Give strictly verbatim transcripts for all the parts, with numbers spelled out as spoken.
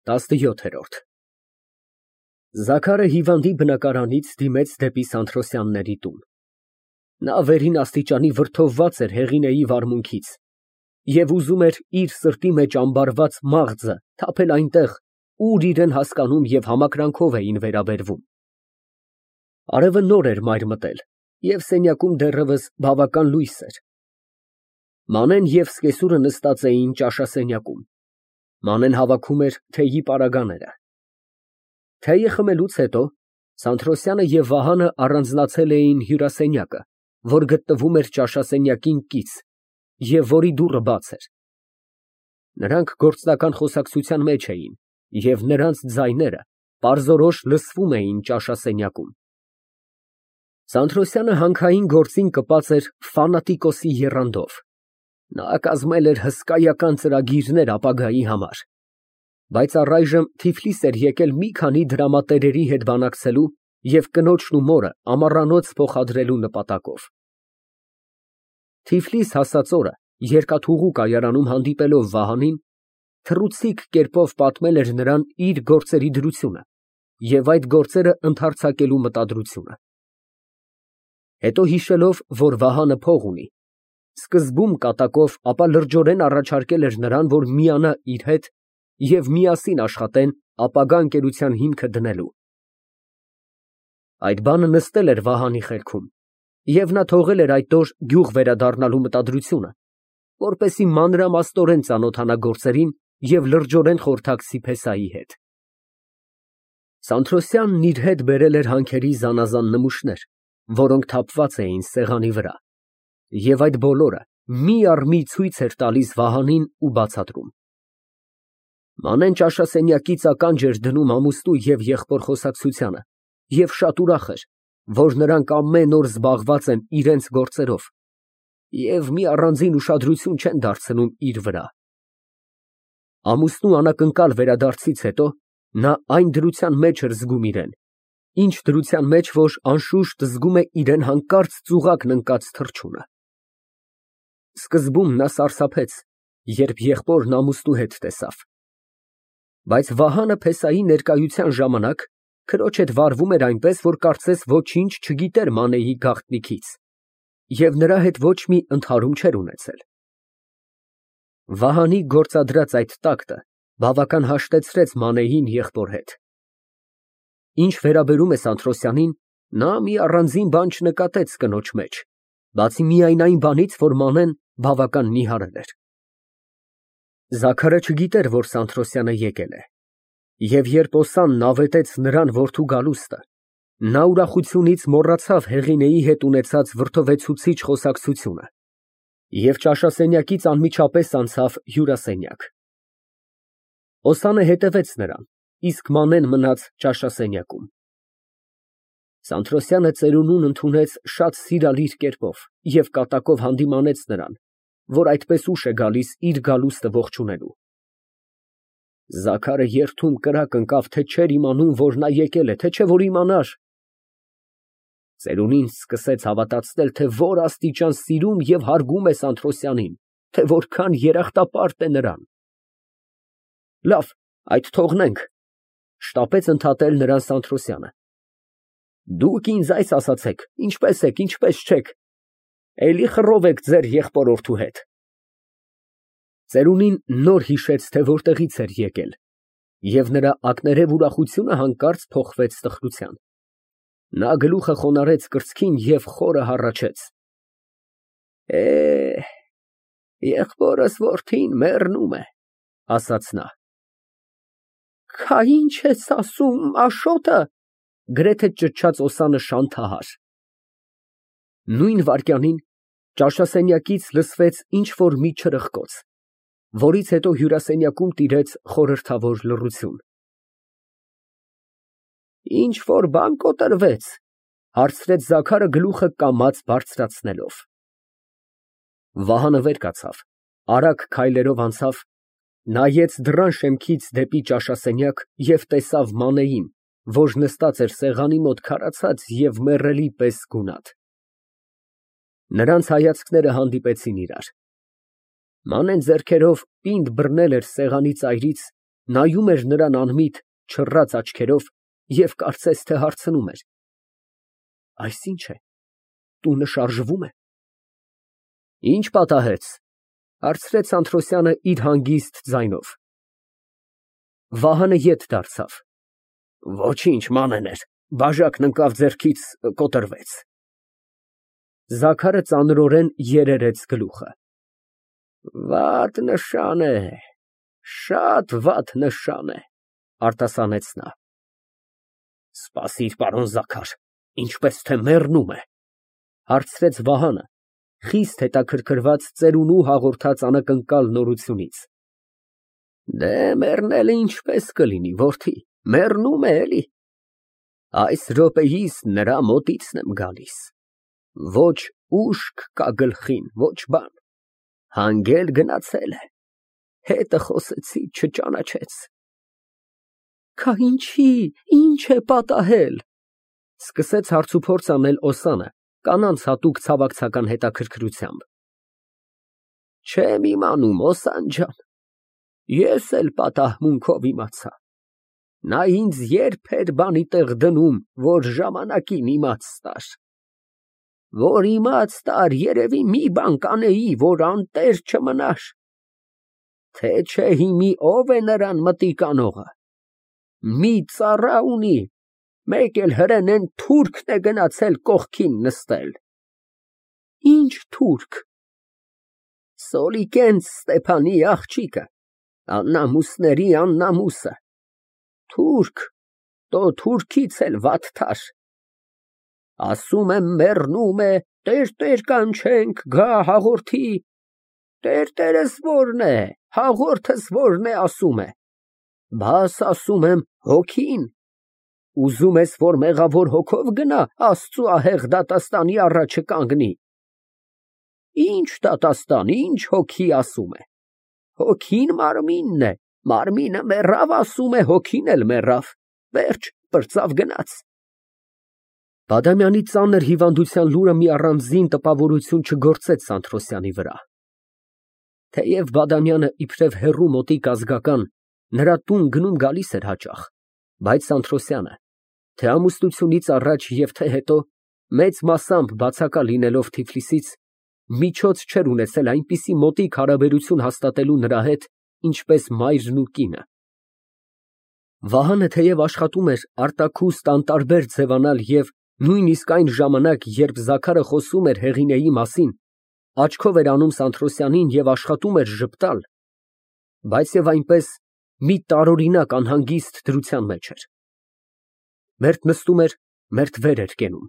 ՏԱՍՆՅՈԹԵՐՈՐԴ Զաքարը հիվանդի բնակարանից դիմեց դեպի Սանթրոսյանների տուն։ Նա վերին աստիճանի վրդովված էր Հեղինեի վարմունքից և ուզում էր իր սրտի մեջ ամբարված մաղձը թափել այնտեղ, ուր իրան հասկանում և համակրանքով էին վերաբերվում։ Արևը նոր էր մայր մտել և սենյակում դեռևս բավական լույս էր։ Մանեն և սկեսուրը նստած էին ճաշասենյակում, Մանեն հավաքում էր թեյի պարագաները։ Թեյը խմելուց հետո Սանթրոսյանը և Վահանը առանձնացել էին հյուրասենյակը, որ գտնվում էր ճաշասենյակին կից և որի դուռը բաց էր։ Նրանք գործնական խոսակցության մեջ էին և նրանց ձայները պարզորոշ լսվում էին ճաշասենյակում։ Սանթրոսյանը հանքային գործին կպած էր ֆանատիկոսի եռանդով։ Նա կազմել էր հսկայական ծրագիրներ ապագայի համար, բայց առայժմ Թիֆլիս էր եկել մի քանի դրամատերերի հետ բանակցելու և կնոջն ու մորը ամառանոց փոխադրելու նպատակով։ Թիֆլիս հասած օրը երկաթուղու կայարանում հանդիպելով Վահանին, թռուցիկ կերպով պատմել էր նրան իր գործերի դրությունը և այդ գործերը ընդարձակելու մտադրությունը։ Հետո հիշելով, որ Վահանը փող ունի, սկզբում կատակով, ապա լրջորեն առաջարկել էր նրան, որ միանա իր հետ և միասին աշխատեն ապագա ընկերության հիմքը դնելու։ Այդ բանը նստել էր Վահանի խելքում, և նա թողել էր այդ օր գյուղ վերադառնալու մտադրությունը, որպեսզի մանրամասնորեն ծանոթանա գործերին և լրջորեն խորհրդակցի փեսայի հետ։ Սանթրոսյանն իր հետ բերել էր հանքերի զանազան նմուշներ, որոնք թափված էին սեղանի վրա, և այդ բոլորը մի առ մի ցույց էր տալիս Վահանին ու բացատրում։ Մանեն ճաշասենյակից ականջ էր դնում ամուսնու և եղբոր խոսակցությանը և շատ ուրախ էր, որ նրանք ամեն օր զբաղված են իրենց գործերով և մի առանձին ուշադրություն չեն դարձնում իր վրա։ Ամուսնու անակնկալ վերադարձից հետո նա այն դրության մեջ էր զգում իրան, ինչ դրության մեջ, որ անշուշտ զգում է իրան հանկարծ ծուղակն ընկած թռչունը։ Սկզբում նա սարսափեց, երբ եղբորն ամուսնու հետ տեսավ, բայց Վահանը փեսայի ներկայության ժամանակ քրոջ հետ վարվում էր այնպես, որ կարծես ոչինչ չգիտեր Մանեի գաղտնիքից և նրա հետ ոչ մի ընդհարում չէր ունեցել։ Վահանի գործադրած այդ տակտը բավական հաշտեցրեց Մանեին եղբոր հետ։ Ինչ վերաբերում է Սանթրոսյանին, նա մի առանձին բան չնկատեց կնոջ մեջ, բացի միայն այն բանից, որ Մանեն բավական նիհարել էր։ Զաքարը չգիտեր, որ Սանթրոսյանը եկել է, և երբ օսանն ավետեց նրան որդու գալուստը, նա ուրախությունից մոռացավ Հեղինեի հետ ունեցած վրդովեցուցիչ խոսակցությունը և ճաշասենյակից անմիջապես անցավ հյուրասենյակ։ Օսանը հետևեց նրան, իսկ Մանեն մնաց ճաշասենյակում։ Սանթրոսյանը ծերունուն ընդունեց շատ սիրալիր կերպով և կատակով հանդիմանեց նրան, որ այդպես ուշ է գալիս իր գալուստը ողջունելու։ Զաքարը երդում կրակ ընկավ, թե չէր իմանում, որ նա եկել է, թե չէ որ իմանար։ Ծերունին սկսեց հավատացնել, թե որ աստիճան սիրում և հարգում է Սանթրոսյանին, թե որքան երախտապարտ է նրան։ Լավ, այդ թողնենք, շտապեց ընդհատել նրան Սանթրոսյանը։ Դուք ինձ այս ասացեք, ինչպե՞ս եք, ինչպե՞ս չեք, էլի խռով եք ձեր եղբորորդու հետ։ Ծերունին նոր հիշեց, թե որտեղից էր եկել, և նրա ակներև ուրախությունը հանկարծ փոխվեց տխրության։ Նա գլուխը խոնարհեց կրծքին և խորը հառաչեց։ Է, եղբորս որդին մեռնում է, ասաց նա։ Քա ինչ ես ասում, Աշոտը, գրեթե ճչաց օսանը շանթահար։ Նույն վայրկյանին ճաշասենյակից լսվեց ինչ֊որ մի չրխկոց, որից հետո հյուրասենյակում տիրեց խորհրդավոր լռություն։ Ինչ֊որ բան կոտրվե՞ց, հարցրեց Զաքարը գլուխը կամաց բարձրացնելով։ Վահանը վեր կացավ, արագ քայլերով անցավ, նայեց դռան շեմքից դեպի ճաշասենյակ և տեսավ Մանեին, որ նստած էր սեղանի մոտ քարացած և մեռելի պես գունատ։ Նրանց հայացքները հանդիպեցին իրար։ Մանեն ձեռքերով պինդ բռնել էր սեղանի ծայրից Նայում էր նրան անմիտ, չռած աչքերով և կարծես թե հարցնում էր. այս ի՞նչ է, տունը շարժվում է։ Ի՞նչ պատահեց, հարցրեց Անթրոսյանը իր հանգիստ ձայնով։ Վահանը ետ դարձավ։ Ոչինչ, մանեներ, բաժակն ընկավ ձեռքից, կոտրվեց։ Զաքարը ծանրորեն երերեց գլուխը։ Վատ նշան է, շատ վատ նշան է, արտասանեց նա։ Սպասիր, պարոն Զաքար, ինչպես թե մեռնում է, հարցրեց Վահանը, խիստ հետաքրքրված ծերունու հաղորդած անակնկալ նորությունից։ Դե մեռնելը ինչպես կլինի, որդի, մեռնում է էլի։ Այս րոպեիս նրա մոտիցն եմ գալիս։ Ոչ ուշք կա գլխին, ոչ բան, հանգել գնացել է, հետը խոսեցի, չճանաչեց։ Քա ինչի, ինչ է պատահել, սկսեց հարցուփորձ անել Օսանը, կանանց հատուկ ցավակցական հետաքրքրությամբ։ Չեմ իմանում, Օսան ջան, ես էլ պատահմունքով իմացա։ Նա ինձ երբ էր բանի տեղ դնում, որ ժամանակին իմաց տար։ Որ իմաց տար, երևի մի բան կանեի, որ անտեր չմնար։ Թե չէ հիմի ով է նրան մտիկ անողը։ Մի ծառա ունի, մեկ էլ հրեն են թուրքն է գնացել կողքին նստել։ Ինչ թուրք։ Սոլիկենց Ստեփանի աղջիկը, աննամուսների աննամուսը։ Թուրք, տո թուրքից էլ վատթար։ Ասում եմ մեռնում է, տեր֊տեր կանչենք, գա հաղորդի։ Տեր֊տերս որն է, հաղորդս որն է ասում է։ Բաս ասում եմ հոգին։ Ուզում ես, որ մեղավոր հոգով գնա Աստծու ահեղ դատաստանի առաջը կանգնի։ Ինչ դատաստան, ինչ հոգի ասում է։ Հոգին մարմինն է, մարմինը մեռավ, ասում է, հոգին էլ մեռավ, վերջ, պրծավ գնաց։ Բադամյանի ծանր հիվանդության լուրը մի առանձին տպավորություն չգործեց Սանթրոսյանի վրա։ Թեև Բադամյանը իբրև հեռու մոտիկ ազգական նրա տուն գնում գալիս էր հաճախ, բայց Սանթրոսյանը, թե ամուսնությունից առաջ և թե հետո, մեծ մասամբ բացակա լինելով Թիֆլիսից, միջոց չէր ունեցել այնպիսի մոտիկ հարաբերություն հաստատելու նրա հետ, ինչպես մայրն ու կինը։ Վահանը թեև աշխատում էր արտաքուստ անտարբեր ձևանալ և նույնիսկ այն ժամանակ, երբ Զաքարը խոսում էր Հեղինեի մասին, աչքով էր անում Սանթրոսյանին և աշխատում էր ժպտալ, բայց և այնպես մի տարօրինակ անհանգիստ դրության մեջ էր։ Մերթ նստում էր, մերթ վեր էր կենում,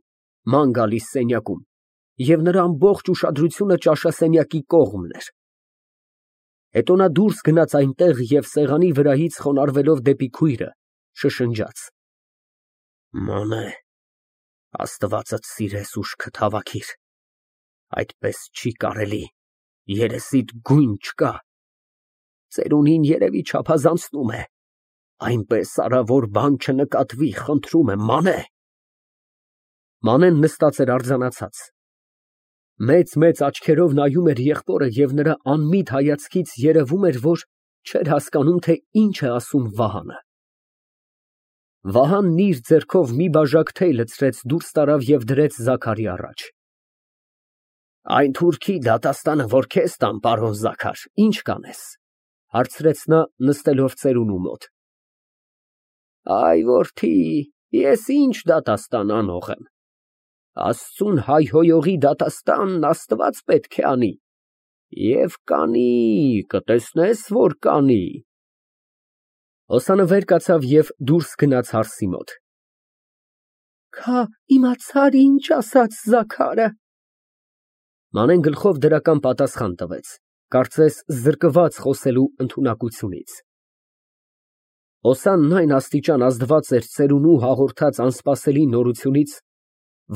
ման գալիս սենյակում, և նրա ամբողջ ուշադրությունը ճաշասենյակի կողմն էր։ Հետո նա դուրս գնաց այնտեղ և սեղանի վրայից խոնարհվելով դեպի քույրը, շշնջաց. Մանե, Աստվածդ սիրես ուշքդ հավաքիր, այդպես չի կարելի, երեսիդ գույն չկա, ծերունին երևի չափազանցնում է, այնպես արա, որ բան չնկատվի, խնդրում եմ, Մանե։ Մանեն նստած էր արձանացած։ Մեծ֊մեծ աչքերով նայում էր եղբորը և նրա անմիտ հայացքից երևում էր, որ չէր հասկանում, թե ինչ է ասում Վահանը։ Վահանն իր ձեռքով մի բաժակ թեյ լցրեց, դուրս տարավ և դրեց Զաքարի առաջ։ Այն թուրքի դատաստանը, որ քեզ տամ, պարոն Զաքար, ինչ կանես, հարցրեց նա, նստելով ծերունու մոտ։ Այ որդի, ես ինչ դատաստան անող եմ։ Աստծուն հայհոյողի դատաստանն Աստված պետք է անի։ Եվ կանի, կտեսնես, որ կանի։ Օսանը վեր կացավ և դուրս գնաց հարսի մոտ։ Քա իմացար ինչ ասաց Զաքարը։ Մանեն գլխով դրական պատասխան տվեց, կարծես զրկված խոսելու ընդունակությունից։ Օսանն այն աստիճան ազդված էր ծերունու հաղորդած անսպասելի նորությունից,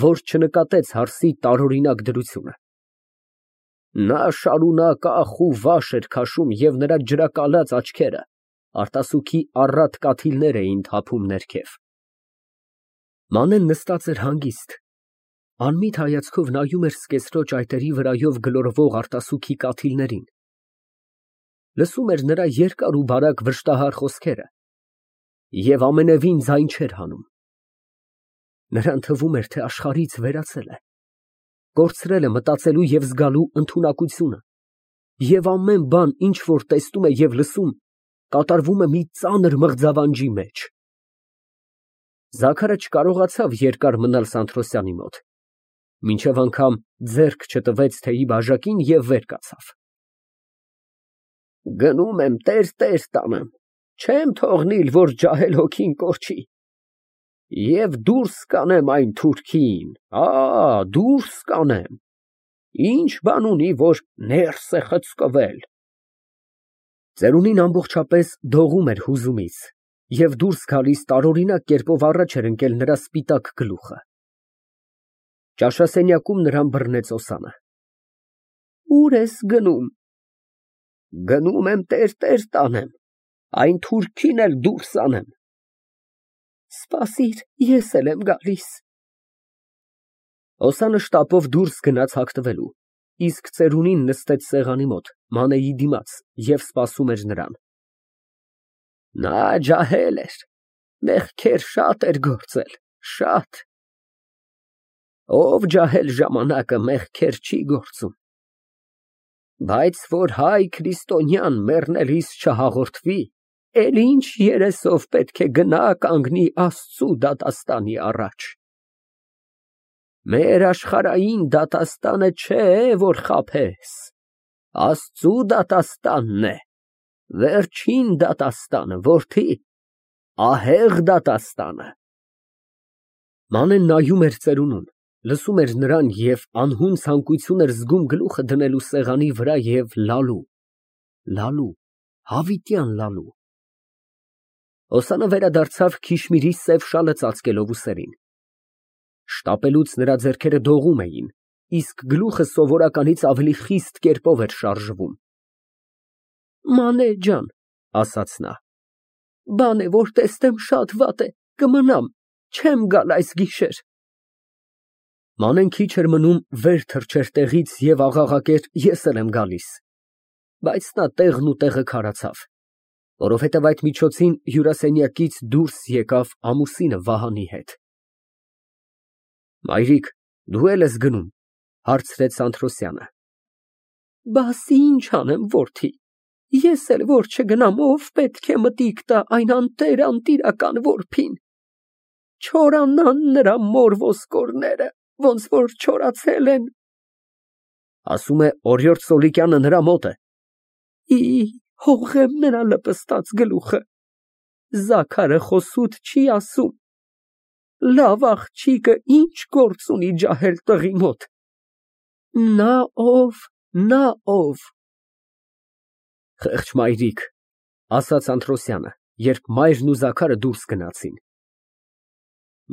որ չնկատեց հարսի տարօրինակ դրությունը։ Նա շարունակ ախ ու վաշ էր քաշում և նրա ջրակալած աչքերը արտասուքի առատ կաթիլներ էին թափում ներքև։ Մանեն նստած էր հանգիստ, անմիտ հայացքով նայում էր սկեսրոջ այտերի վրայով գլորվող արտասուքի կաթիլներին։ լսում էր նրա երկար ու բարակ վշտահար խոսքերը և ամենևին ձայն չէր հանում։ Նրան թվում էր, թե աշխարհից վերացել է, կորցրել է մտածելու և զգալու ընդունակությունը, և ամեն բան, ինչ որ տեսնում է և լսում, կատարվում է մի ծանր մղձավանջի մեջ։ Զաքարը չկարողացավ երկար մնալ Սանթրոսյանի մոտ, մինչև անգամ ձեռք չտվեց թեյի բաժակին և վեր կացավ։ Գնում եմ տեր֊տեր տանեմ, չեմ թողնիլ, որ ջահել հոգին կորչի, և դուրս կանեմ այն թուրքին, ա, դուրս կանեմ, ինչ բան ունի, որ ներս է խցկվել։ Ծերունին ամբողջապես դողում էր հուզումից, և դուրս գալիս տարօրինակ կերպով առաջ էր ընկել նրա սպիտակ գլուխը։ Ճաշասենյակում նրան բռնեց Օսանը։ Ո՞ւր ես գնում։ Գնում եմ տեր֊տեր տանեմ, այն թուրքին էլ դուրս անեմ։ Սպասիր, ես էլ եմ գալիս։ Օսանը շտապով դուրս գնաց հագնվելու, իսկ ծերունին նստեց սեղանի մոտ, Մանեի դիմաց և սպասում էր նրան։ Նա ջահել էր, մեղքեր շատ էր գործել, շատ։ Ով ջահել ժամանակը մեղքեր չի գործում։ Բայց որ հայ քրիստոնյան մեռնելիս չհաղորդվի, էլ ինչ երեսով պետք է գնա կանգնի Աստծու դատաստանի առաջ։ Մեր աշխարհային դատաստանը չէ, որ խաբես, Աստծու դատաստանն է, վերջին դատաստանը, որդի, ահեղ դատաստանը։ Մանեն նայում էր ծերունուն, լսում էր նրան և անհուն ցանկություն էր զգում գլուխը դնելու սեղանի վրա և լալու, լալու, հավիտյան լալու։ Օսանը վերադարձավ Քիշմիրի սև շալը ծածկելով ուսերին։ Շտապելուց նրա ձեռքերը դողում էին, իսկ գլուխը սովորականից ավելի խիստ կերպով էր շարժվում։ Մանե ջան, ասաց նա, բան է, որ տեսնեմ շատ վատ է, կմնամ, չեմ գալ այս գիշեր։ Մանեն քիչ էր մնում վեր թռչեր տեղից և աղաղակեր ես էլ եմ գալիս, բայց նա տեղն ու տեղը քարացավ, որովհետև այդ միջոցին հյուրասենյակից դուրս եկավ ամուսինը Վահանի հետ։ Մայրիկ, դու էլ ես գնում, հարցրեց Սանթրոսյանը։ Բաս ինչ անեմ, որդի, ես էլ որ չգնամ, ով պետք է մտիկ տա այն անտեր անտիրական որբին։ Չորանան նրա մոր ոսկորները, ոնց որ չորացել են։ Ասում է Օրիորդ Սոլիկյանը նրա մոտ է։ Ի, հողեմ նրա լպստած գլուխը, Զաքարը խոսուտ չի ասում։ Լավ աղջիկը ինչ գործ ունի ջահել տղի մոտ։ Նա ով, նա ով։ Խեղճ մայրիկ, ասաց Անտրոսյանը, երբ մայրն ու Զաքարը դուրս գնացին։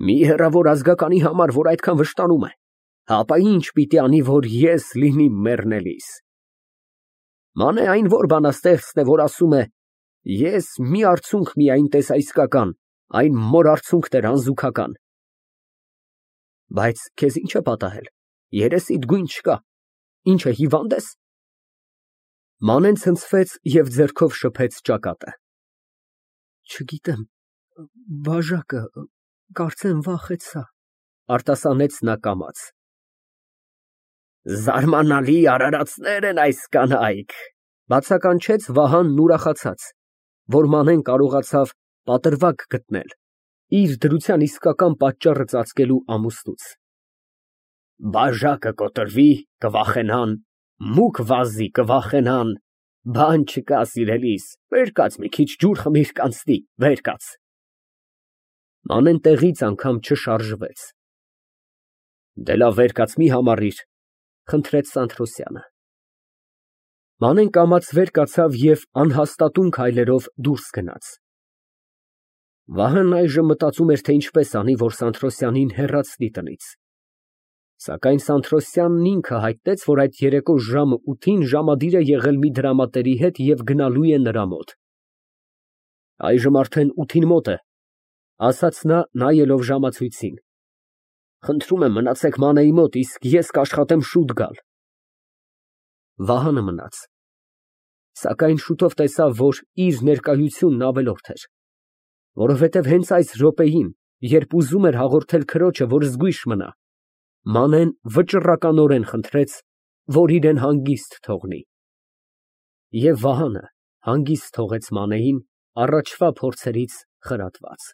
Մի հեռավոր ազգականի համար, որ այդքան վշտանում է, հապա ինչ պիտի անի, որ ես լինիմ մեռնելիս։ Մանե այն որ բանաստեղծն է, որ ասում է. ես մի արցունք միայն տեսա իսկական, այն մոր արցունքն էր անզուգական։ Բայց քեզ ինչ է պատահել, երեսիդ գույն չկա, ինչ է, հիվանդ ես։ Մանեն ցնցվեց և ձեռքով շփեց ճակատը։ Չգիտեմ, բաժակը, կարծեմ վախեցա, արտասանեց նա կամաց։ Զարմանալի արարածներ են այս կանայք, բացականչեց Վահանն ուրախացած, որ Մանեն կարողացավ պատրվակ գտնել, իր դրության իսկական պատճառը ծածկելու ամուսնուց։ Բաժակը կոտրվի, կվախենան, մուկ վազի, կվախենան, բան չկա, սիրելիս, վեր կաց մի քիչ ջուր խմիր, կանցնի, վեր կաց։ Մանեն տեղից անգամ չշարժվեց։ Դե լավ, վեր կաց, մի համառիր, խնդրեց Սանթրոսյանը։ Մանեն կամաց վեր կացավ և անհաստատուն քայլերով դուրս գնաց։ Վահանն այժմ մտածում էր, թե ինչպես անի, որ Սանթրոսյանին հեռացնի տնից։ Սակայն Սանթրոսյանն ինքը հայտնեց, որ այդ երեկո ժամը ութին ժամադիր է եղել մի դրամատերի հետ և գնալու է նրա մոտ։ Այժմ արդեն ութին մոտ է, ասաց նա, նայելով ժամացույցին։ Խնդրում եմ մնացեք Մանեի մոտ, իսկ ես կաշխատեմ շուտ գալ։ Վահանը մնաց։ Սակայն շուտով տեսավ, որ իր ներկայությունն ավելորդ էր, որովհետև հենց այս րոպեին, երբ ուզում էր հաղորդել քրոջը, որ զգույշ մնա, Մանեն վճռականորեն խնդրեց, որ իրան հանգիստ թողնի։ Եվ Վահանը հանգիստ թողեց Մանեին, առաջվա փորձերից խրատված։